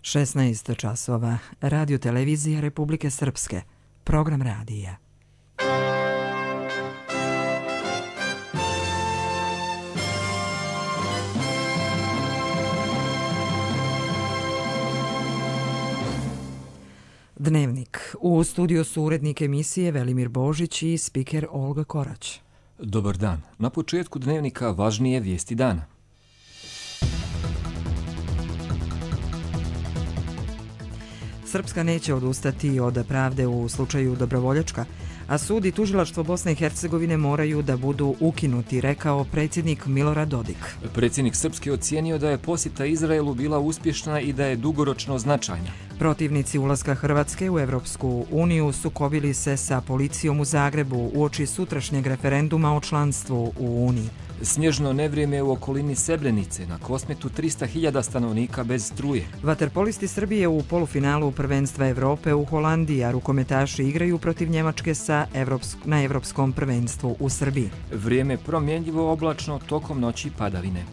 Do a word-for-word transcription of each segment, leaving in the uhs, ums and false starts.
šesnaest časova. Radio televizija Republike Srpske. Program radija. Dnevnik. U studiju su urednik emisije Velimir Božić i spiker Olga Korać. Dobar dan. Na početku dnevnika važnije vijesti dana. Srpska neće odustati od pravde u slučaju Dobrovoljačka, a sud i tužilaštvo Bosne i Hercegovine moraju da budu ukinuti, rekao predsjednik Milorad Dodik. Predsjednik Srpske ocijenio da je posjeta Izraelu bila uspješna i da je dugoročno značajna. Protivnici ulaska Hrvatske u Evropsku uniju sukobili se sa policijom u Zagrebu uoči sutrašnjeg referenduma o članstvu u Uniji. Snježno nevrijeme u okolini Srebrenice, na Kosmetu trista hiljada stanovnika bez struje. Vaterpolisti Srbije u polufinalu prvenstva Evrope u Holandiji, a rukometaši igraju protiv Njemačke sa Evropsk, na Evropskom prvenstvu u Srbiji. Vrijeme promjenjivo, oblačno, tokom noći padavine.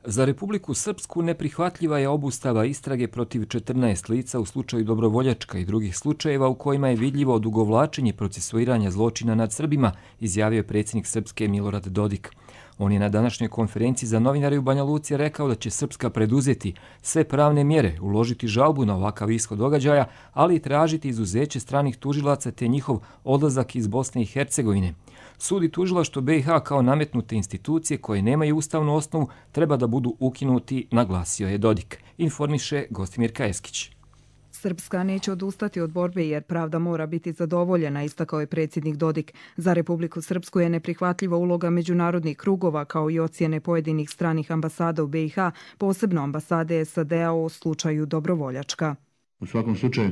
Za Republiku Srpsku neprihvatljiva je obustava istrage protiv četrnaest lica u slučaju Dobrovoljačka i drugih slučajeva u kojima je vidljivo odugovlačenje procesuiranja zločina nad Srbima, izjavio je predsjednik Srpske Milorad Dodik. On je na današnjoj konferenciji za novinare u Banja Luci rekao da će Srpska preduzeti sve pravne mjere, uložiti žalbu na ovakav ishod događaja, ali i tražiti izuzeće stranih tužilaca te njihov odlazak iz Bosne i Hercegovine. Sud i tužilaštvo B i H kao nametnute institucije koje nemaju ustavnu osnovu treba da budu ukinuti, naglasio je Dodik, informiše Gostimir Kajeskić. Srpska neće odustati od borbe jer pravda mora biti zadovoljena, istakao je predsjednik Dodik. Za Republiku Srpsku je neprihvatljiva uloga međunarodnih krugova kao i ocjene pojedinih stranih ambasada u B i H, posebno ambasade S A D-a o slučaju Dobrovoljačka. U svakom slučaju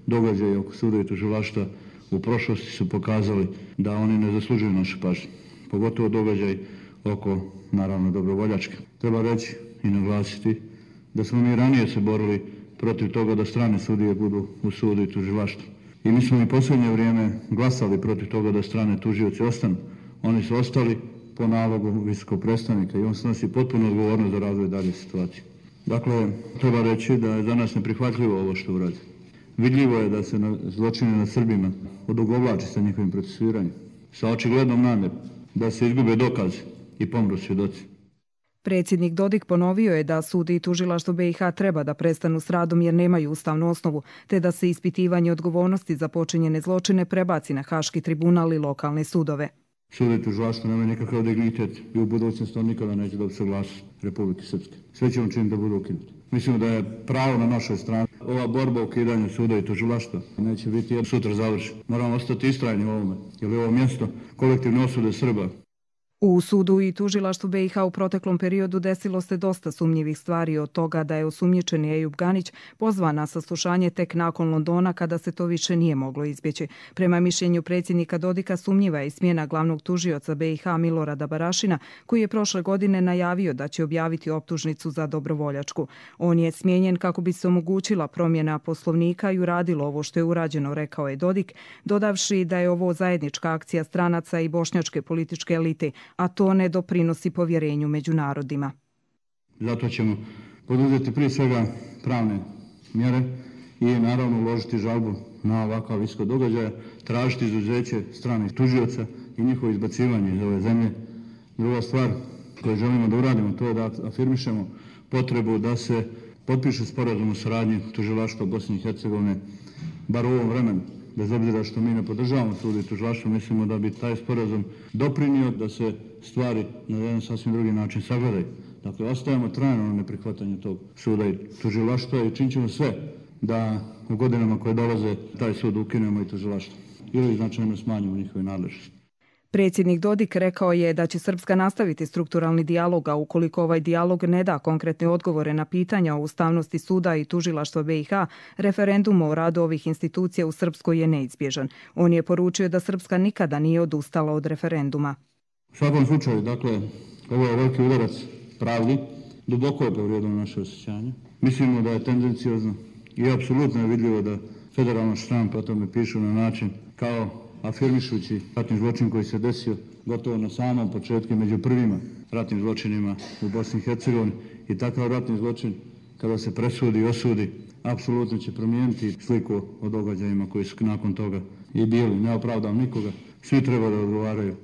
događaje oko suda i tužilaštva u prošlosti su pokazali da oni ne zaslužuju našu pažnju, pogotovo događaj oko, naravno, Dobrovoljačke. Treba reći i naglasiti da smo mi ranije se borili protiv toga da strane sudije budu u sudu i tužilaštvu. I mi smo i posljednje vrijeme glasali protiv toga da strane tužioci ostanu. Oni su ostali po nalogu visokog predstavnika i on snosi potpuno odgovornost za razvoj dalje situacije. Dakle, treba reći da je za nas neprihvatljivo ovo što uradi. Vidljivo je da se na zločine nad Srbima odugovlači sa njihovim procesuiranjem, sa očiglednom namjerom da se izgube dokazi i pomru svjedoci. Predsjednik Dodik ponovio je da sud i tužilaštvo B i H treba da prestanu s radom jer nemaju ustavnu osnovu, te da se ispitivanje odgovornosti za počinjene zločine prebaci na Haški tribunal i lokalne sudove. Sud i tužilaštvo nema nikakav dignitet i u budućnosti on nikada neće dobiti saglasnost Republike Srpske. Sve ćemo činiti da budu ukinuti. Mislimo da je pravo na našoj strani. Ova borba o ukidanju suda i tužilaštva neće biti jedno sutra završena. Moramo ostati istrajni u ovome, jer je ovo mjesto kolektivne osude Srba. U sudu i tužilaštvu B i H u proteklom periodu desilo se dosta sumnjivih stvari, od toga da je osumnjičeni Ejub Ganić pozvan na saslušanje tek nakon Londona kada se to više nije moglo izbjeći. Prema mišljenju predsjednika Dodika sumnjiva je smjena glavnog tužioca B i H Milorada Barašina, koji je prošle godine najavio da će objaviti optužnicu za Dobrovoljačku. On je smijenjen kako bi se omogućila promjena poslovnika i uradilo ovo što je urađeno, rekao je Dodik, dodavši da je ovo zajednička akcija stranaca i bošnjačke političke elite, a to ne doprinosi povjerenju među narodima. Zato ćemo poduzeti prije svega pravne mjere i naravno uložiti žalbu na ovakav ishod događaja, tražiti izuzeće stranih tužioca i njihovo izbacivanje iz ove zemlje. Druga stvar koju želimo da uradimo, to je da afirmišemo potrebu da se potpiše sporazum o saradnji tužilaštva Bosne i Hercegovine, bar u ovom vremenu. Bez obzira što mi ne podržavamo sud i tužilaštvo, mislimo da bi taj sporazum doprinio da se stvari na jedan sasvim drugi način sagledaju. Dakle, ostajemo trajno na neprihvatanju tog suda i tužilaštva i činit ćemo sve da u godinama koje dolaze taj sud ukinemo i tužilaštvo ili značajno smanjimo njihove nadležnosti. Predsjednik Dodik rekao je da će Srpska nastaviti strukturalni dijalog, a ukoliko ovaj dijalog ne da konkretne odgovore na pitanja o ustavnosti suda i tužilaštva B i H, referendum o radu ovih institucija u Srpskoj je neizbježan. On je poručio da Srpska nikada nije odustala od referenduma. U svakom slučaju, dakle, ovo je veliki udarac pravdi, duboko je povrijedilo naše osjećanje. Mislimo da je tendenciozno i apsolutno je vidljivo da federalna štampa o tome pišu na način kao afirmišući ratni zločin koji se desio gotovo na samom početku među prvima ratnim zločinima u Bosni i Hercegovini i takav ratni zločin kada se presudi i osudi apsolutno će promijeniti sliku o događajima koji su nakon toga i bili. Ne opravdam nikoga, svi treba da odgovaraju.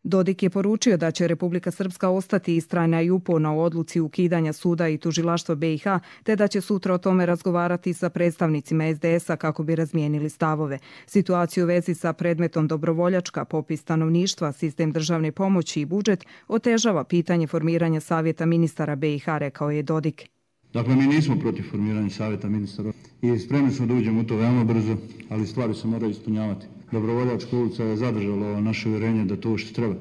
Dodik je poručio da će Republika Srpska ostati istrajna i uporna u odluci ukidanja suda i tužilaštva B i H, te da će sutra o tome razgovarati sa predstavnicima es de es a kako bi razmijenili stavove. Situaciju u vezi sa predmetom dobrovoljačka, popis stanovništva, sistem državne pomoći i budžet otežava pitanje formiranja savjeta ministara B i H, rekao je Dodik. Dakle, mi nismo protiv formiranja savjeta ministara i spremni smo da uđemo u to veoma brzo, ali stvari se moraju ispunjavati. Dobrovoljačka ulica je zadržala naše uvjerenje da to što treba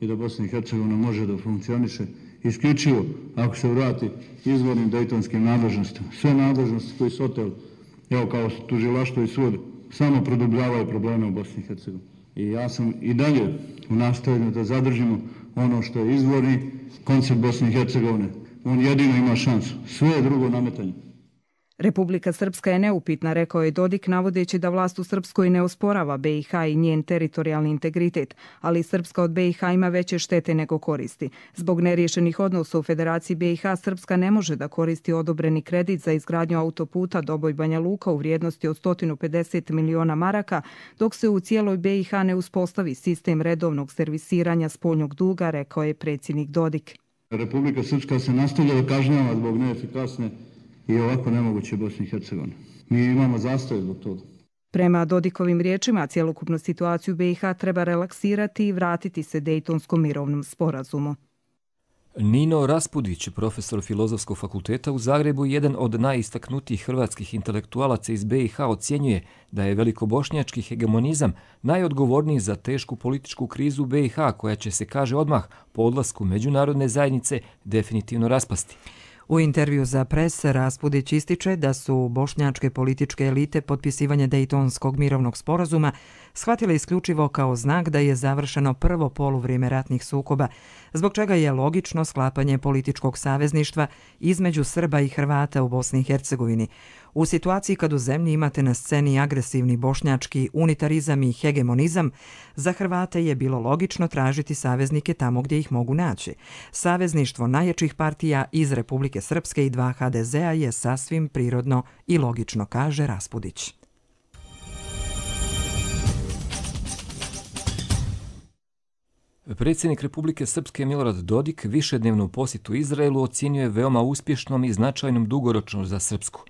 i da Bosna i Hercegovina može da funkcioniše isključivo ako se vrati izvornim dejtonskim nadležnostima. Sve nadležnosti koji su oteli, evo kao tužilaštvo i sud, samo produbljavaju probleme u Bosni i Hercegovini. I ja sam i dalje u nastojanju da zadržimo ono što je izvorni koncept Bosne i Hercegovine. On jedino ima šansu. Sve je drugo nametanje. Republika Srpska je neupitna, rekao je Dodik, navodeći da vlast u Srpskoj ne osporava B i H i njen teritorijalni integritet, ali Srpska od B i H ima veće štete nego koristi. Zbog neriješenih odnosa u Federaciji B i H, Srpska ne može da koristi odobreni kredit za izgradnju autoputa Doboj-Banja Luka u vrijednosti od sto pedeset miliona maraka, dok se u cijeloj B i H ne uspostavi sistem redovnog servisiranja spoljnog duga, rekao je predsjednik Dodik. Republika Srpska se nastavlja da kažnjava zbog neefikasne i ovako nemoguće Bosne i Hercegovine. Mi imamo zastoj zbog toga. Prema Dodikovim riječima, cjelokupnu situaciju B i H treba relaksirati i vratiti se Dejtonskom mirovnom sporazumu. Nino Raspudić, profesor Filozofskog fakulteta u Zagrebu, jedan od najistaknutijih hrvatskih intelektualaca iz B i H, ocjenjuje da je velikobošnjački hegemonizam najodgovorniji za tešku političku krizu B i H, koja će se, kaže, odmah po odlasku međunarodne zajednice definitivno raspasti. U intervju za Pres Raspudić ističe da su bošnjačke političke elite potpisivanje Dejtonskog mirovnog sporazuma shvatile isključivo kao znak da je završeno prvo poluvrijeme ratnih sukoba, zbog čega je logično sklapanje političkog savezništva između Srba i Hrvata u Bosni i Hercegovini. U situaciji kad u zemlji imate na sceni agresivni bošnjački unitarizam i hegemonizam, za Hrvate je bilo logično tražiti saveznike tamo gdje ih mogu naći. Savezništvo najjačih partija iz Republike Srpske i dva ha de ze a je sasvim prirodno i logično, kaže Raspudić. Predsjednik Republike Srpske Milorad Dodik višednevnu posjetu Izraelu ocjenjuje veoma uspješnom i značajnom dugoročno za Srpsku.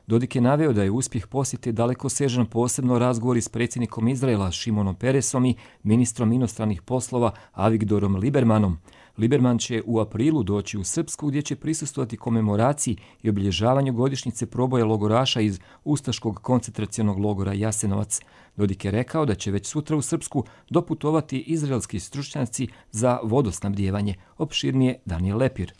Dodik je naveo da je uspjeh posjete dalekosežan, posebno razgovori s predsjednikom Izraela Šimonom Peresom i ministrom inostranih poslova Avigdorom Libermanom. Liberman će u aprilu doći u Srpsku gdje će prisustvovati komemoraciji i obilježavanju godišnjice proboja logoraša iz ustaškog koncentracionog logora Jasenovac. Dodik je rekao da će već sutra u Srpsku doputovati izraelski stručnjaci za vodosnabdijevanje. Opširnije Daniel Lepir.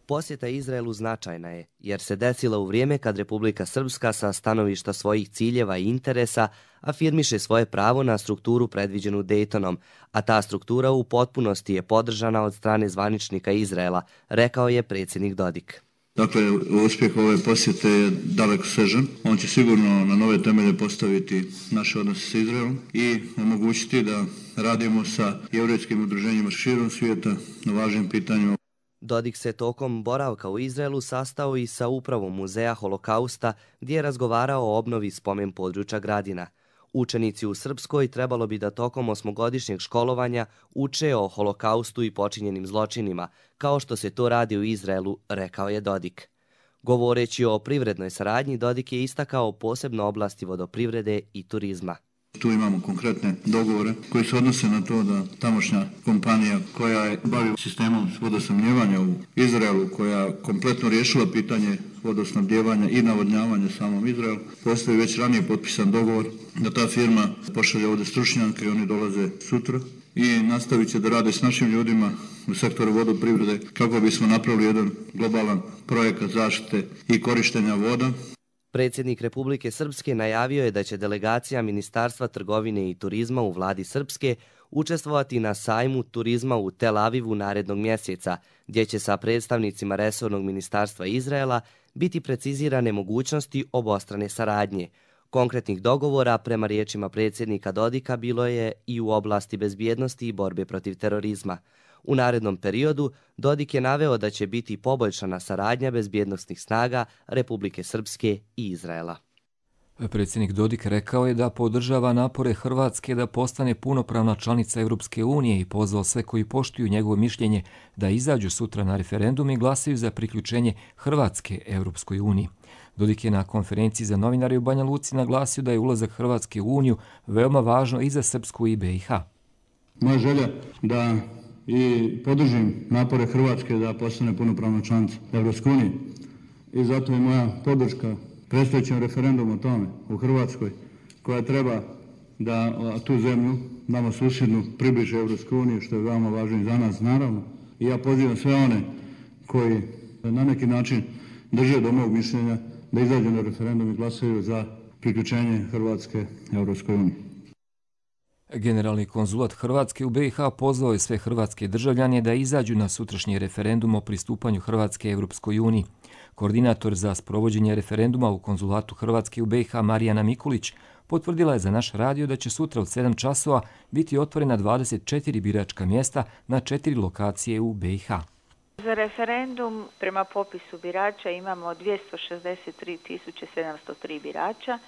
Posjeta Izraelu značajna je, jer se desila u vrijeme kad Republika Srpska sa stanovišta svojih ciljeva i interesa afirmiše svoje pravo na strukturu predviđenu Dejtonom, a ta struktura u potpunosti je podržana od strane zvaničnika Izraela, rekao je predsjednik Dodik. Dakle, uspjeh ove posjete je dalekosežan. On će sigurno na nove temelje postaviti naše odnose sa Izraelom i omogućiti da radimo sa jevrejskim udruženjima širom svijeta na važnim pitanjima. Dodik se tokom boravka u Izraelu sastao i sa upravom Muzeja Holokausta, gdje je razgovarao o obnovi spomen područja Gradina. Učenici u Srpskoj trebalo bi da tokom osmogodišnjeg školovanja uče o Holokaustu i počinjenim zločinima, kao što se to radi u Izraelu, rekao je Dodik. Govoreći o privrednoj saradnji, Dodik je istakao posebno oblasti vodoprivrede i turizma. Tu imamo konkretne dogovore koji se odnose na to da tamošnja kompanija koja je bavi sistemom vodosnabdijevanja u Izraelu, koja kompletno riješila pitanje vodosnabdijevanja i navodnjavanja samom Izraelu, postoji već ranije potpisan dogovor da ta firma pošalje ovdje stručnjake i oni dolaze sutra i nastavit će da rade s našim ljudima u sektoru vodoprivrede kako bismo napravili jedan globalan projekat zaštite i korištenja voda. Predsjednik Republike Srpske najavio je da će delegacija Ministarstva trgovine i turizma u vladi Srpske učestvovati na sajmu turizma u Tel Avivu narednog mjeseca, gdje će sa predstavnicima resornog ministarstva Izraela biti precizirane mogućnosti obostrane saradnje. Konkretnih dogovora, prema riječima predsjednika Dodika, bilo je i u oblasti bezbjednosti i borbe protiv terorizma. U narednom periodu Dodik je naveo da će biti poboljšana saradnja bezbjednosnih snaga Republike Srpske i Izraela. Predsjednik Dodik rekao je da podržava napore Hrvatske da postane punopravna članica Europske unije i pozvao sve koji poštuju njegovo mišljenje da izađu sutra na referendum i glasaju za priključenje Hrvatske Europskoj uniji. Dodik je na konferenciji za novinare u Banja Luci naglasio da je ulazak Hrvatske u Uniju veoma važno i za Srpsku i B i H. Moja želja da i podržim napore Hrvatske da postane punopravna članica Europske unije i zato je moja podrška predstojećem referendumu o tome u Hrvatskoj, koja treba da tu zemlju, nama susjednu, približe Europskoj uniji, što je veoma važno i za nas, naravno. I ja pozivam sve one koji na neki način drže do mog mišljenja da izađu na referendum i glasaju za priključenje Hrvatske Europskoj uniji. Generalni konzulat Hrvatske u B i H pozvao je sve hrvatske državljane da izađu na sutrašnji referendum o pristupanju Hrvatske Europskoj uniji. Koordinator za sprovođenje referenduma u konzulatu Hrvatske u B i H Marijana Mikulić potvrdila je za naš radio da će sutra od sedam časova biti otvorena dvadeset četiri biračka mjesta na četiri lokacije u B i H. Za referendum prema popisu birača imamo dvjesto šezdeset tri tisuće sedamsto tri birača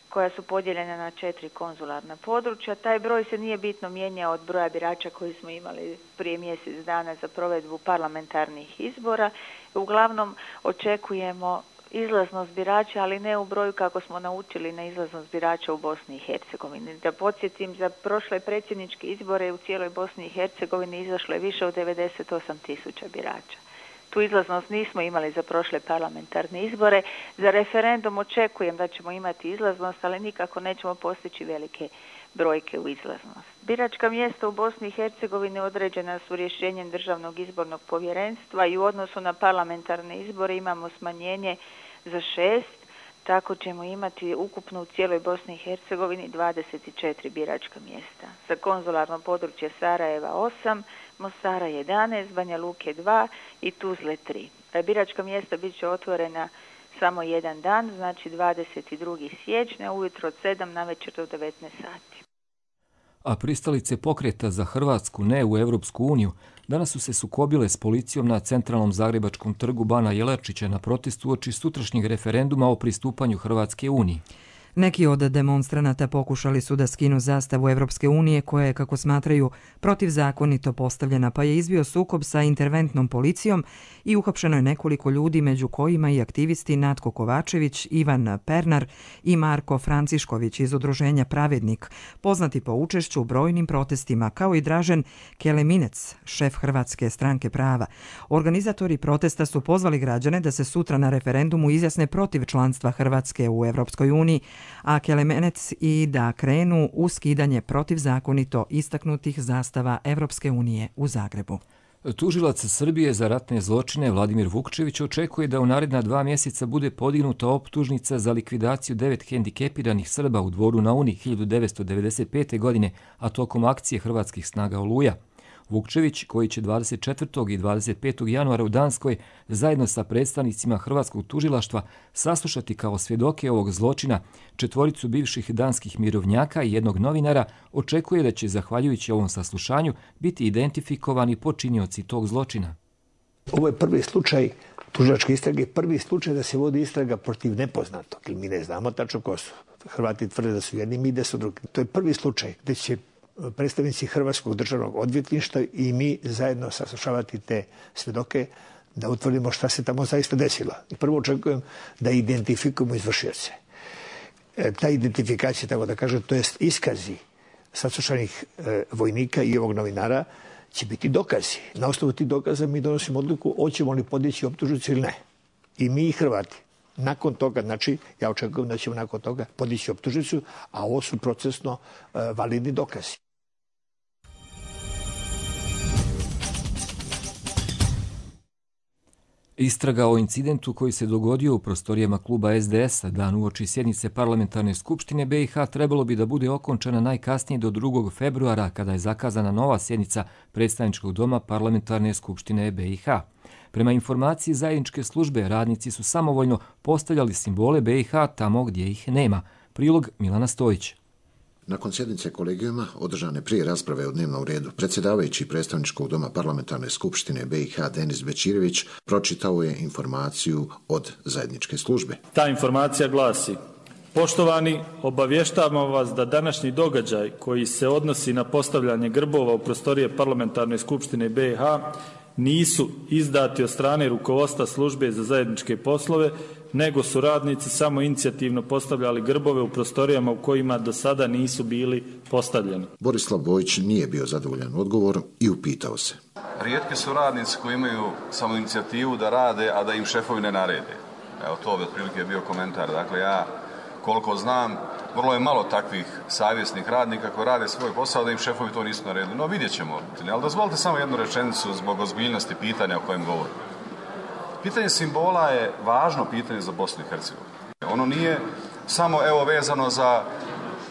koja su podijeljena na četiri konzularna područja. Taj broj se nije bitno mijenjao od broja birača koji smo imali prije mjesec dana za provedbu parlamentarnih izbora. Uglavnom očekujemo izlaznost birača, ali ne u broju kako smo naučili na izlaznost birača u Bosni i Hercegovini. Da podsjetim, za prošle predsjedničke izbore u cijeloj Bosni i Hercegovini izašlo je više od devedeset osam tisuća birača. Tu izlaznost nismo imali za prošle parlamentarne izbore. Za referendum očekujem da ćemo imati izlaznost, ali nikako nećemo postići velike brojke u izlaznost. Biračka mjesta u Bosni i Hercegovini određena su rješenjem Državnog izbornog povjerenstva i u odnosu na parlamentarne izbore imamo smanjenje za šest, tako ćemo imati ukupno u cijeloj Bosni i Hercegovini dvadeset četiri biračka mjesta. Za konzularno područje Sarajeva osam, Mostara jedanaest, Banja Luke dva i Tuzle tri. Biračka mjesta bit će otvorena samo jedan dan, znači dvadeset drugog siječnja, ujutro od sedam navečer do devetnaest sati. A pristalice pokreta za Hrvatsku ne u Europsku uniju danas su se sukobile s policijom na centralnom zagrebačkom trgu Bana Jelačića na protestu uoči sutrašnjeg referenduma o pristupanju Hrvatske uniji. Neki od demonstranata pokušali su da skinu zastavu Evropske unije koja je, kako smatraju, protivzakonito postavljena, pa je izbio sukob sa interventnom policijom i uhapšeno je nekoliko ljudi, među kojima i aktivisti Natko Kovačević, Ivan Pernar i Marko Francišković iz udruženja Pravednik, poznati po učešću u brojnim protestima, kao i Dražen Keleminec, šef Hrvatske stranke prava. Organizatori protesta su pozvali građane da se sutra na referendumu izjasne protiv članstva Hrvatske u Evropskoj uniji, a Kelemenec i da krenu u skidanje protivzakonito istaknutih zastava Evropske unije u Zagrebu. Tužilac Srbije za ratne zločine Vladimir Vukčević očekuje da u naredna dva mjeseca bude podignuta optužnica za likvidaciju devet hendikepiranih Srba u Dvoru na Uni hiljadu devetsto devedeset pete. godine, a tokom akcije hrvatskih snaga Oluja. Vukčević, koji će dvadeset četvrtog i dvadeset petog januara u Danskoj zajedno sa predstavnicima Hrvatskog tužilaštva saslušati kao svjedoke ovog zločina četvoricu bivših danskih mirovnjaka i jednog novinara, očekuje da će, zahvaljujući ovom saslušanju, biti identifikovani počinioci tog zločina. Ovo je prvi slučaj tužilačke istrage, prvi slučaj da se vodi istraga protiv nepoznatog, jer mi ne znamo tačno ko su. Hrvati tvrde da su jedni, mi da su drugi. To je prvi slučaj gdje će predstavnici Hrvatskog državnog odvjetništva i mi zajedno saslušavati te svjedoke da utvrdimo šta se tamo zaista desilo. I prvo očekujem da identifikujemo izvršioce. E, ta identifikacija, tako da kažem, to jest iskazi saslušanih e, vojnika i ovog novinara će biti dokazi. Na osnovu tih dokaza mi donosimo odluku hoćemo li podići optužnicu ili ne. I mi i Hrvati. Nakon toga, znači, ja očekujem da ćemo nakon toga podići optužnicu, a ovo su procesno e, validni dokazi. Istraga o incidentu koji se dogodio u prostorijama kluba S D S-a dan uoči sjednice parlamentarne skupštine B i H trebalo bi da bude okončana najkasnije do drugog februara kada je zakazana nova sjednica predstavničkog doma parlamentarne skupštine B i H. Prema informaciji zajedničke službe, radnici su samovoljno postavljali simbole B i H tamo gdje ih nema. Prilog Milana Stojić. Nakon sjednice kolegijuma, održane prije rasprave o dnevnom redu, predsjedavajući predstavničkog doma parlamentarne skupštine B i H Denis Bećirević pročitao je informaciju od zajedničke službe. Ta informacija glasi: Poštovani, obavještavamo vas da današnji događaj koji se odnosi na postavljanje grbova u prostorije parlamentarne skupštine B i H nisu izdati od strane rukovodstva službe za zajedničke poslove, nego su radnici samo inicijativno postavljali grbove u prostorijama u kojima do sada nisu bili postavljeni. Borislav Bojić nije bio zadovoljan odgovorom i upitao se. Rijetki su radnici koji imaju samo inicijativu da rade, a da im šefovi ne narede. Evo, to bi otprilike bio komentar. Dakle, ja koliko znam, vrlo je malo takvih savjesnih radnika koji rade svoj posao da im šefovi to nisu naredili. No, vidjet ćemo. Ali dozvolite samo jednu rečenicu zbog ozbiljnosti pitanja o kojem govorim. Pitanje simbola je važno pitanje za Bosnu i Hercegovinu. Ono nije samo evo vezano za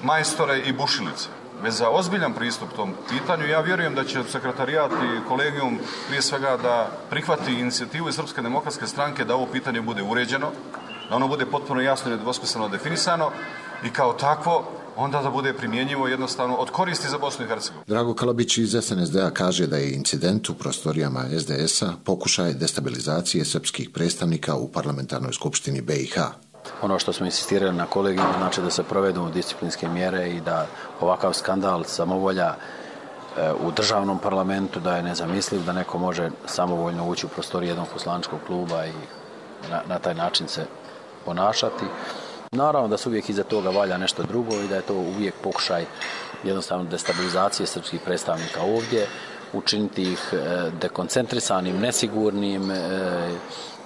majstore i bušilice, već za ozbiljan pristup tom pitanju. Ja vjerujem da će sekretarijat i kolegijum prije svega da prihvati inicijativu iz Srpske demokratske stranke da ovo pitanje bude uređeno, da ono bude potpuno jasno i nedvosmisleno definisano i kao takvo onda da bude primjenjivo jednostavno od koristi za Bosnu i Hercegovinu. Drago Kalabić iz S N S D-a kaže da je incident u prostorijama S D S-a pokušaj destabilizacije srpskih predstavnika u parlamentarnoj skupštini B i H. Ono što smo insistirali na kolegiju, znači da se provedu disciplinske mjere i da ovakav skandal samovolja u državnom parlamentu, da je nezamisliv, da neko može samovoljno ući u prostoriju jednog poslaničkog kluba i na, na taj način se ponašati. Naravno da se uvijek iza toga valja nešto drugo i da je to uvijek pokušaj jednostavno destabilizacije srpskih predstavnika ovdje, učiniti ih dekoncentrisanim, nesigurnim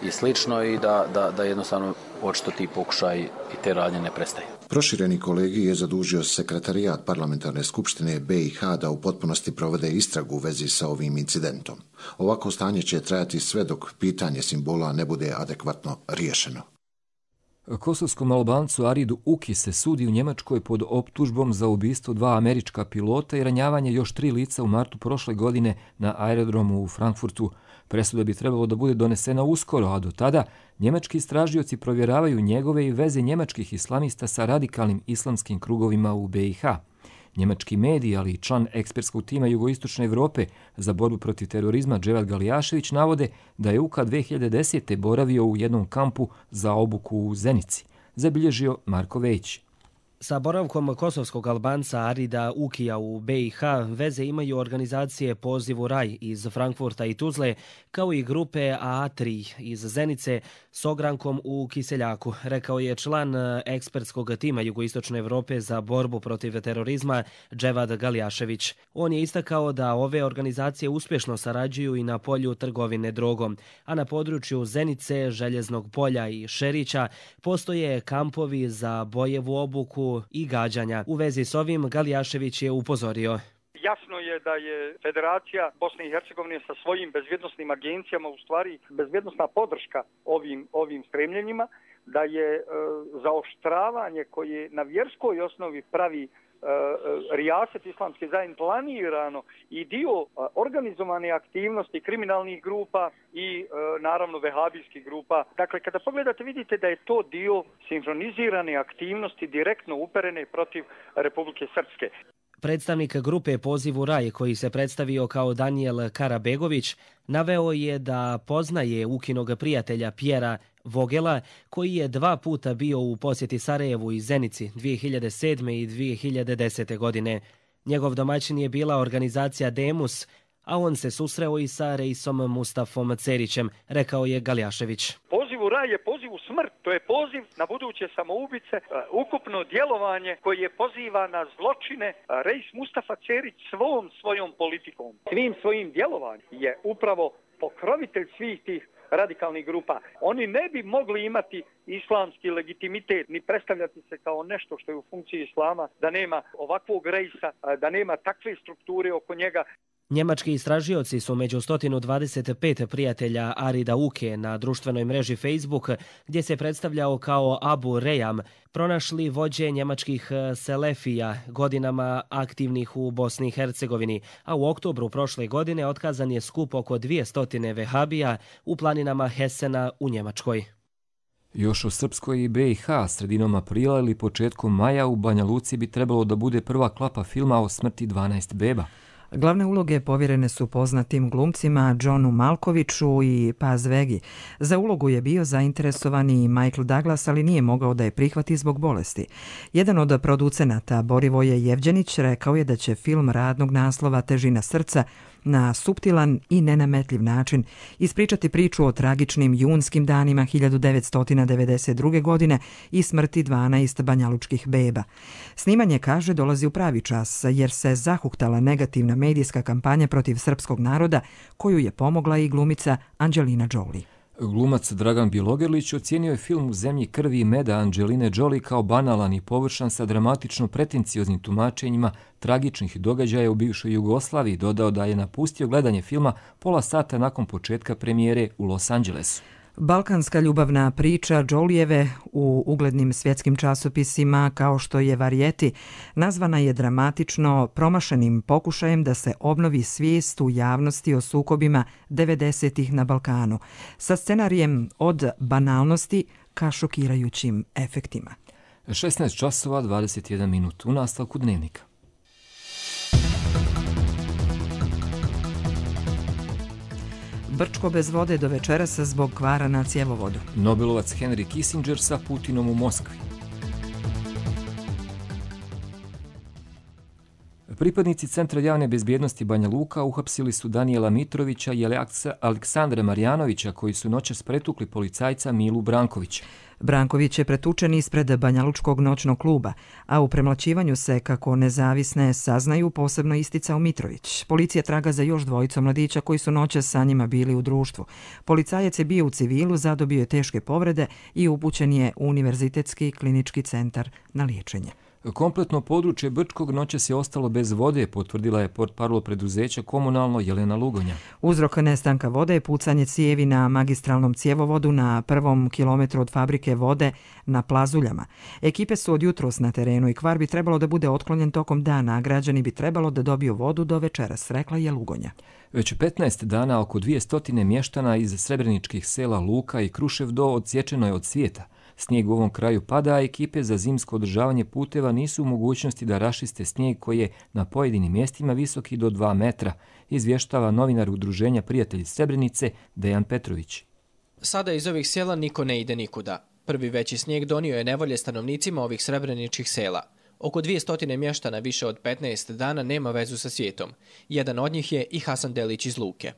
i slično i da, da, da jednostavno očito ti pokušaj i te radnje ne prestaju. Prošireni kolegij je zadužio sekretarijat parlamentarne skupštine B i H da u potpunosti provede istragu u vezi sa ovim incidentom. Ovako stanje će trajati sve dok pitanje simbola ne bude adekvatno riješeno. Kosovskom Albancu Aridu Uki se sudi u Njemačkoj pod optužbom za ubistvo dva američka pilota i ranjavanje još tri lica u martu prošle godine na aerodromu u Frankfurtu. Presuda bi trebalo da bude donesena uskoro, a do tada njemački istražioci provjeravaju njegove i veze njemačkih islamista sa radikalnim islamskim krugovima u B i H. Njemački mediji, ali i član ekspertskog tima Jugoistočne Evrope za borbu protiv terorizma Dževad Galijašević navode da je Uka dve hiljade desete. boravio u jednom kampu za obuku u Zenici. Zabilježio Marko Vejić. Sa boravkom kosovskog Albanca Arida Ukija u B i H veze imaju organizacije Poziv u raj iz Frankfurta i Tuzle, kao i grupe A tri iz Zenice s ogrankom u Kiseljaku, rekao je član ekspertskog tima Jugoistočne Evrope za borbu protiv terorizma Dževad Galijašević. On je istakao da ove organizacije uspješno sarađuju i na polju trgovine drogom, a na području Zenice, Željeznog polja i Šerića postoje kampovi za bojevu obuku i gađanja. U vezi s ovim Galijašević je upozorio. Jasno je da je Federacija Bosne i Hercegovine sa svojim bezbjednosnim agencijama u stvari bezbjednosna podrška ovim, ovim stremljenjima, da je e, zaoštravanje koje na vjerskoj osnovi pravi e, rijaset islamske zajednice planirano i dio e, organizovane aktivnosti kriminalnih grupa i e, naravno vehabijskih grupa. Dakle, kada pogledate vidite da je to dio sinhronizirane aktivnosti direktno uperene protiv Republike Srpske. Predstavnik grupe Poziv u raj, koji se predstavio kao Danijel Karabegović, naveo je da poznaje Ukinog prijatelja Pjera Vogela, koji je dva puta bio u posjeti Sarajevu i Zenici dvije hiljade sedme. i dvije hiljade desete. godine. Njegov domaćin je bila organizacija Demus, a on se susreo i sa Reisom Mustafom Cerićem, rekao je Galijašević. Poziv u raj je poziv u smrt, to je poziv na buduće samoubice, ukupno djelovanje koje poziva na zločine. Reis Mustafa Cerić svom svojom politikom, svim svojim djelovanjem je upravo pokrovitelj svih tih radikalnih grupa. Oni ne bi mogli imati islamski legitimitet ni predstavljati se kao nešto što je u funkciji islama, da nema ovakvog rejsa, da nema takve strukture oko njega. Njemački istražioci su među sto dvadeset pet prijatelja Arida Uke na društvenoj mreži Facebook, gdje se predstavljao kao Abu Rejam, pronašli vođe njemačkih selefija, godinama aktivnih u Bosni i Hercegovini, a u oktobru prošle godine otkazan je skup oko dvjesto vehabija u planinama Hesena u Njemačkoj. Još u Srpskoj i B i H sredinom aprila ili početkom maja u Banja Luci bi trebalo da bude prva klapa filma o smrti dvanaest beba. Glavne uloge povjerene su poznatim glumcima Johnu Malkoviću i Paz Vegi. Za ulogu je bio zainteresovani Michael Douglas, ali nije mogao da je prihvati zbog bolesti. Jedan od producenata, Borivoje Jevđenić, rekao je da će film radnog naslova Težina srca na suptilan i nenametljiv način ispričati priču o tragičnim junskim danima hiljadu devetsto devedeset druge. godine i smrti dvanaest banjalučkih beba. Snimanje, kaže, dolazi u pravi čas jer se zahuktala negativna medijska kampanja protiv srpskog naroda koju je pomogla i glumica Angelina Jolie. Glumac Dragan Bjelogrlić ocijenio je film U zemlji krvi i meda Angeline Jolie kao banalan i površan sa dramatično pretencioznim tumačenjima tragičnih događaja u bivšoj Jugoslaviji. Dodao da je napustio gledanje filma pola sata nakon početka premijere u Los Angelesu. Balkanska ljubavna priča Jolijeve u uglednim svjetskim časopisima kao što je Variety nazvana je dramatično promašenim pokušajem da se obnovi svijest u javnosti o sukobima devedesetih na Balkanu, sa scenarijem od banalnosti ka šokirajućim efektima. šesnaest časova dvadeset jedan minut u nastavku Dnevnika. Brčko bez vode do večerasa zbog kvara na cjevovodu. Nobelovac Henry Kissinger sa Putinom u Moskvi. Pripadnici Centra javne bezbjednosti Banja Luka uhapsili su Danijela Mitrovića i Aleksandra Marjanovića koji su noćas pretukli policajca Milu Brankovića. Branković je pretučen ispred Banjalučkog noćnog kluba, a u premlaćivanju se, kako nezavisne saznaju, posebno isticao Mitrović. Policija traga za još dvojicu mladića koji su noćas sa njima bili u društvu. Policajac je bio u civilu, zadobio je teške povrede i upućen je u Univerzitetski klinički centar na liječenje. Kompletno područje Brčkog noćas je ostalo bez vode, potvrdila je portparol preduzeća Komunalno Jelena Lugonja. Uzrok nestanka vode je pucanje cijevi na magistralnom cjevovodu na prvom kilometru od fabrike vode na Plazuljama. Ekipe su od jutros na terenu i kvar bi trebalo da bude otklonjen tokom dana, a građani bi trebalo da dobiju vodu do večeras, rekla je Lugonja. Već petnaest dana oko dvjesto mještana iz srebreničkih sela Luka i Kruševdo odsječeno je od svijeta. Snijeg u ovom kraju pada, a ekipe za zimsko održavanje puteva nisu u mogućnosti da rašiste snijeg koji je na pojedinim mjestima visoki do dva metra, izvještava novinar Udruženja Prijatelji Srebrenice Dejan Petrović. Sada iz ovih sela niko ne ide nikuda. Prvi veći snijeg donio je nevolje stanovnicima ovih srebreničkih sela. Oko dvjesto mještana više od petnaest dana nema vezu sa svijetom. Jedan od njih je i Hasan Delić iz Luke.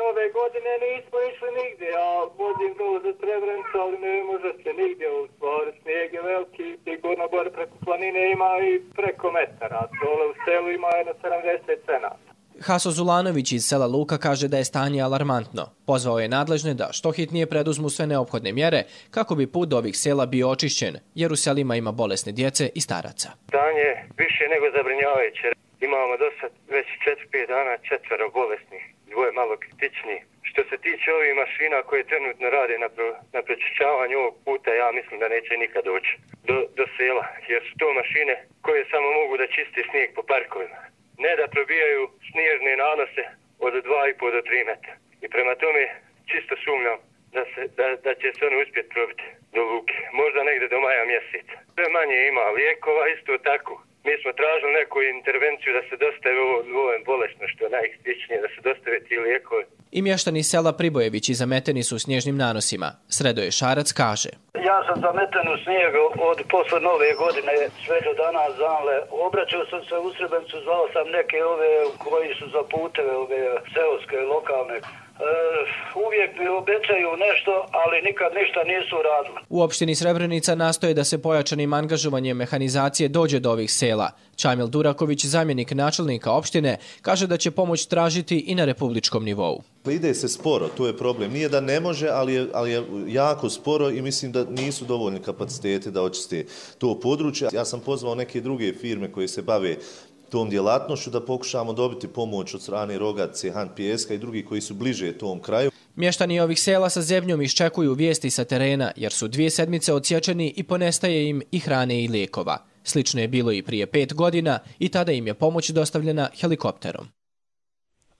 Nove godine nismo išli nigdje, ja vozim dole za Srebrenicu, ali ne može se nigdje u stvari, snijeg je veliki, sigurno gore preko planine ima i preko metara, dole u selu ima jedno sedamdeset cenata. Haso Zulanović iz sela Luka kaže da je stanje alarmantno. Pozvao je nadležne da što hitnije preduzmu sve neophodne mjere kako bi put do ovih sela bio očišćen, jer u selima ima bolesne djece i staraca. Stanje više nego zabrinjavajuće. Imamo do sad već četiri pet dana četvero bolesnih, dvoje malo kritični. Što se tiče ovih mašina koje trenutno rade na, pro, na prečišćavanju ovog puta, ja mislim da neće nikad doći do, do sela, jer su to mašine koje samo mogu da čiste snijeg po parkovima. Ne da probijaju snježne nanose od dva i pol do tri metra. I prema tome čisto sumnjam da, se, da, da će se oni uspjeti probiti do Luke. Možda negdje do maja mjeseca. Sve manje ima lijekova, isto tako. Mi smo tražili neku intervenciju da se dostave ovo, ovo bolesno, što je najkritičnije, da se dostave ti lijekovi. I mještani sela Pribojevići zameteni su snježnim nanosima. Sredoje Šarac kaže. Ja sam zameten u snijegu od posle nove godine sve do danas zanle. Obraćao sam se u Srebrenicu, zvao sam neke ove koji su za puteve, ove seoske, lokalne. E, uvijek mi obećaju nešto, ali nikad ništa nisu radili. U opštini Srebrenica nastoje da se pojačanim angažovanjem mehanizacije dođe do ovih sela. Čamil Duraković, zamjenik načelnika opštine, kaže da će pomoć tražiti i na republičkom nivou. Ide se sporo, to je problem. Nije da ne može, ali je, ali je jako sporo i mislim da nisu dovoljni kapaciteti da očiste to područje. Ja sam pozvao neke druge firme koje se bave tom djelatnošću da pokušamo dobiti pomoć od strane Rogace, Han Pijeska i drugi koji su bliže tom kraju. Mještani ovih sela sa zebnjom iščekuju vijesti sa terena jer su dvije sedmice odsječeni i ponestaje im i hrane i lijekova. Slično je bilo i prije pet godina i tada im je pomoć dostavljena helikopterom.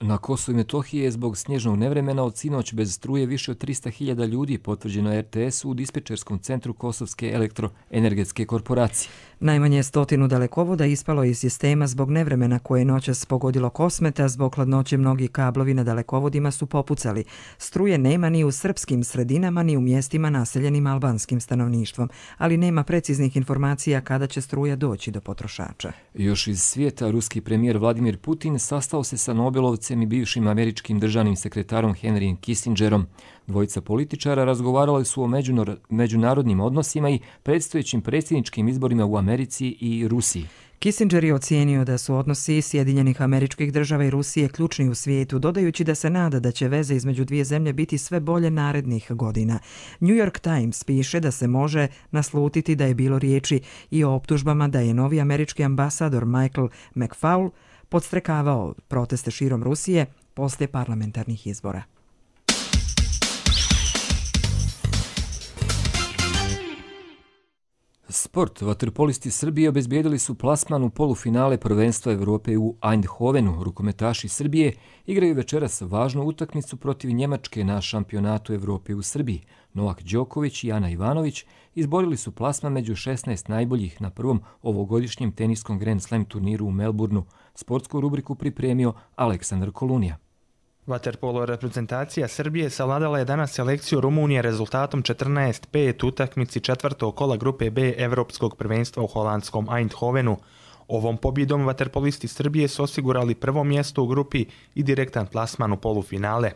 Na Kosovu i Metohiji je zbog snježnog nevremena od sinoć bez struje više od trista hiljada ljudi, potvrđeno R T S-u u dispečerskom centru Kosovske elektroenergetske korporacije. Najmanje stotinu dalekovoda ispalo iz sistema zbog nevremena koje je noćas pogodilo Kosmeta. Zbog hladnoće mnogi kablovi na dalekovodima su popucali. Struje nema ni u srpskim sredinama ni u mjestima naseljenim albanskim stanovništvom, ali nema preciznih informacija kada će struja doći do potrošača. Još iz svijeta, ruski premijer Vladimir Putin sastao se sa Nobelovcem i bivšim američkim državnim sekretarom Henryjem Kissingerom. Dvojica političara razgovarali su o međunarodnim odnosima i predstojećim predsjedničkim izborima u Americi i Rusiji. Kissinger je ocijenio da su odnosi Sjedinjenih Američkih Država i Rusije ključni u svijetu, dodajući da se nada da će veze između dvije zemlje biti sve bolje narednih godina. New York Times piše da se može naslutiti da je bilo riječi i o optužbama da je novi američki ambasador Michael McFaul podstrekavao proteste širom Rusije poslije parlamentarnih izbora. Sport. Vaterpolisti Srbije obezbijedili su plasman u polufinale prvenstva Evrope u Eindhovenu. Rukometaši Srbije igraju večeras važnu utakmicu protiv Njemačke na šampionatu Evrope u Srbiji. Novak Đoković i Ana Ivanović izborili su plasman među šesnaest najboljih na prvom ovogodišnjem teniskom Grand Slam turniru u Melbourneu. Sportsku rubriku pripremio Aleksandar Kolunija. Vaterpolo reprezentacija Srbije savladala je danas selekciju Rumunije rezultatom četrnaest pet utakmici četvrtog kola grupe B Evropskog prvenstva u holandskom Eindhovenu. Ovom pobjedom vaterpolisti Srbije su osigurali prvo mjesto u grupi i direktan plasman u polufinale.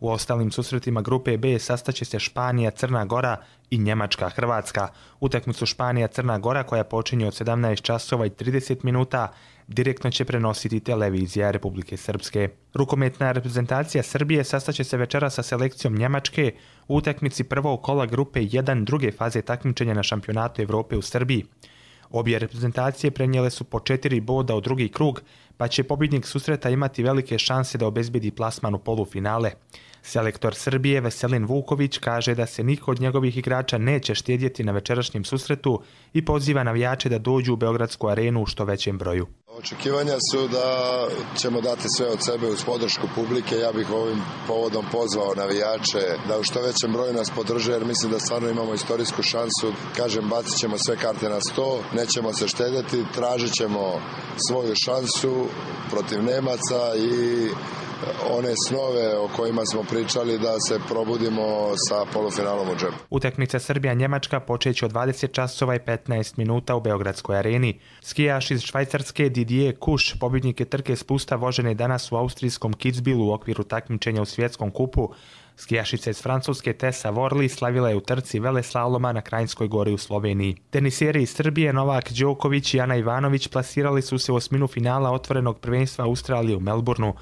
U ostalim susretima grupe B sastaće se Španija, Crna Gora i Njemačka, Hrvatska. Utakmicu Španija-Crna Gora, koja počinje od sedamnaest časova i trideset minuta, direktno će prenositi televizija Republike Srpske. Rukometna reprezentacija Srbije sastaće se večera sa selekcijom Njemačke u utakmici prvog kola grupe jedan druge faze takmičenja na šampionatu Evrope u Srbiji. Obje reprezentacije prenijele su po četiri boda u drugi krug, pa će pobjednik susreta imati velike šanse da obezbedi plasman u polufinale. Selektor Srbije Veselin Vuković kaže da se niko od njegovih igrača neće štedjeti na večerašnjem susretu i poziva navijače da dođu u Beogradsku arenu u što većem broju. Očekivanja su da ćemo dati sve od sebe uz podršku publike. Ja bih ovim povodom pozvao navijače da u što većem broju nas podrže, jer mislim da stvarno imamo istorijsku šansu. Kažem, bacit ćemo sve karte na sto, nećemo se štedjeti, tražit ćemo svoju šansu protiv Nemaca i one snove o kojima smo pričali da se probudimo sa polufinalom u džepu. Utakmica Srbija-Njemačka počeće od dvadeset časova i petnaest minuta u Beogradskoj areni. Skijaš iz Švajcarske Didier Kuš, pobjednik je trke spusta vožene danas u austrijskom Kitzbühelu u okviru takmičenja u svjetskom kupu. Skijašica iz Francuske Tessa Worley slavila je u trci veleslaloma na Krajinskoj gori u Sloveniji. Tenisijeri iz Srbije Novak Đoković i Ana Ivanović plasirali su se u osminu finala otvorenog prvenstva Australije u Melbourneu.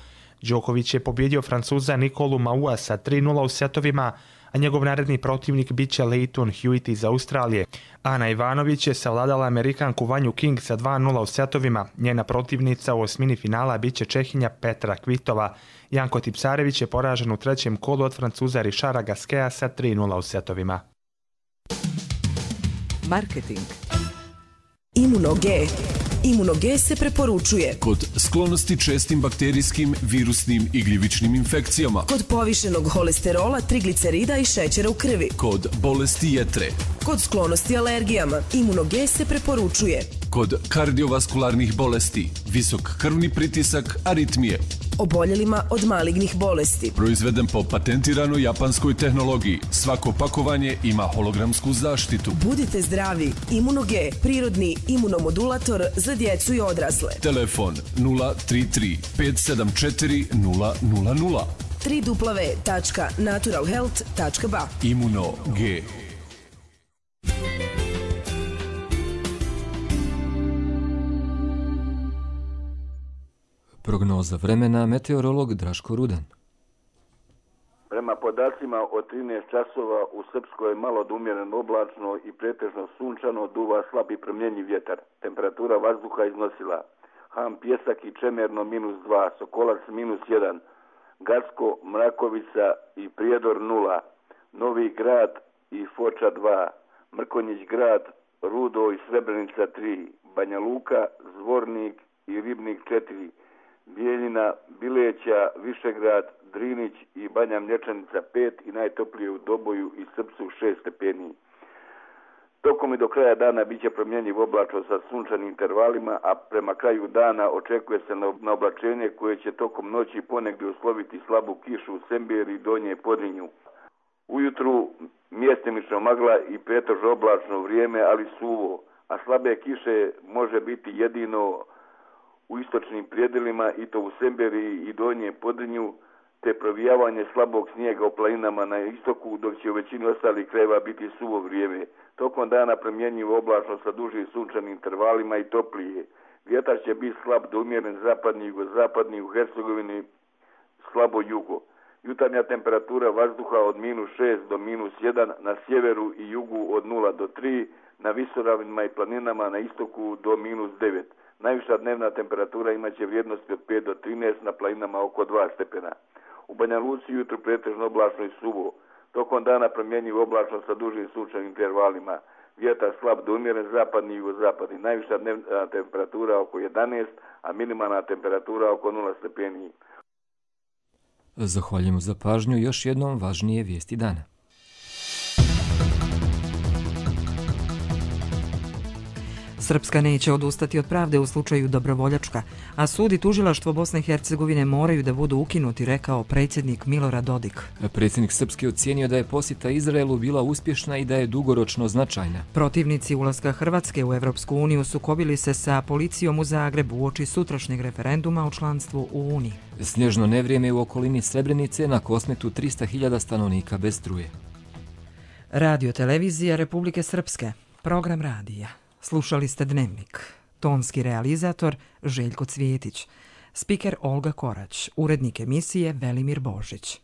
Đoković je pobjedio Francuza Nikolu Maua sa tri nula u setovima, a njegov naredni protivnik bit će Leighton Hewitt iz Australije. Ana Ivanović je savladala Amerikanku Vanju King sa dva nula u setovima. Njena protivnica u osmini finala bit će Čehinja Petra Kvitova. Janko Tipsarević je poražen u trećem kolu od Francuza Richarda Gasqueta sa tri nula u setovima. Marketing. Imuno-G. Imuno-G se preporučuje kod sklonosti čestim bakterijskim, virusnim i gljivičnim infekcijama, kod povišenog holesterola, triglicerida i šećera u krvi, kod bolesti jetre, kod sklonosti alergijama. Imuno-G se preporučuje kod kardiovaskularnih bolesti, visok krvni pritisak, aritmije, oboljelima od malignih bolesti. Proizveden po patentiranoj japanskoj tehnologiji. Svako pakovanje ima hologramsku zaštitu. Budite zdravi. Imuno-G, prirodni imunomodulator za djecu i odrasle. Telefon nula tri tri pet sedam četiri nula nula nula. w w w tačka natural health tačka b a. Imuno-G. Prognoza vremena, meteorolog Draško Rudan. Prema podacima od trinaest časova u Srpskoj malo do umjereno oblačno i pretežno sunčano, duva slab i promjenjiv vjetar. Temperatura vazduha iznosila Han Pjesak i Čemerno minus dva, Sokolac minus jedan, Gacko, Mrakovica i Prijedor nula, Novi Grad i Foča dva, Mrkonjić Grad, Rudo i Srebrenica tri, Banja Luka, Zvornik i Ribnik četiri, Bijeljina, Bileća, Višegrad, Drinić i Banja Mlječanica pet i najtoplije u Doboju i Srpcu šest stepeni. Tokom i do kraja dana bit će promjenjiv oblačno sa sunčanim intervalima, a prema kraju dana očekuje se na oblačenje koje će tokom noći ponegdje usloviti slabu kišu u Semberi i Donje Podrinju. Ujutru mjestimično magla i pretežno oblačno vrijeme, ali suvo, a slabe kiše može biti jedino u istočnim prijedjelima i to u Semberi i Donje Podrinju, te provijavanje slabog snijega u planinama na istoku, dok će u većini ostalih krajeva biti suvo vrijeme. Tokom dana promjenjivo oblačno sa dužim sunčanim intervalima i toplije. Vjetar će biti slab do umjeren zapadni i jugozapadni, u Hercegovini slabo jugo. Jutarnja temperatura vazduha od minus šest do minus jedan, na sjeveru i jugu od nula do tri, na visoravinama i planinama na istoku do minus devet. Najviša dnevna temperatura imaće vrijednosti od pet do trinaest, na planinama oko dva stepena. U Banja Luci jutro pretežno oblačno i suvo. Tokom dana promjenjivo oblačno sa dužim sunčanim intervalima. Vjetar slab do umjeren zapadni i jugozapadni. Najviša dnevna temperatura oko jedanaest, a minimalna temperatura oko nula stepeni. Zahvaljujemo za pažnju. Još jednom važnije vijesti dana. Srpska neće odustati od pravde u slučaju Dobrovoljačka, a sud i tužilaštvo Bosne i Hercegovine moraju da budu ukinuti, rekao predsjednik Milorad Dodik. Predsjednik Srpske ocijenio da je posjeta Izraelu bila uspješna i da je dugoročno značajna. Protivnici ulaska Hrvatske u Evropsku uniju sukobili se sa policijom u Zagrebu uoči sutrašnjeg referenduma o članstvu u Uniji. Snježno nevrijeme u okolini Srebrenice na Kosmetu tristo hiljada stanovnika bez struje. Radio televizija Republike Srpske, program radija. Slušali ste Dnevnik. Tonski realizator Željko Cvijetić. Spiker Olga Korać. Urednik emisije Velimir Božić.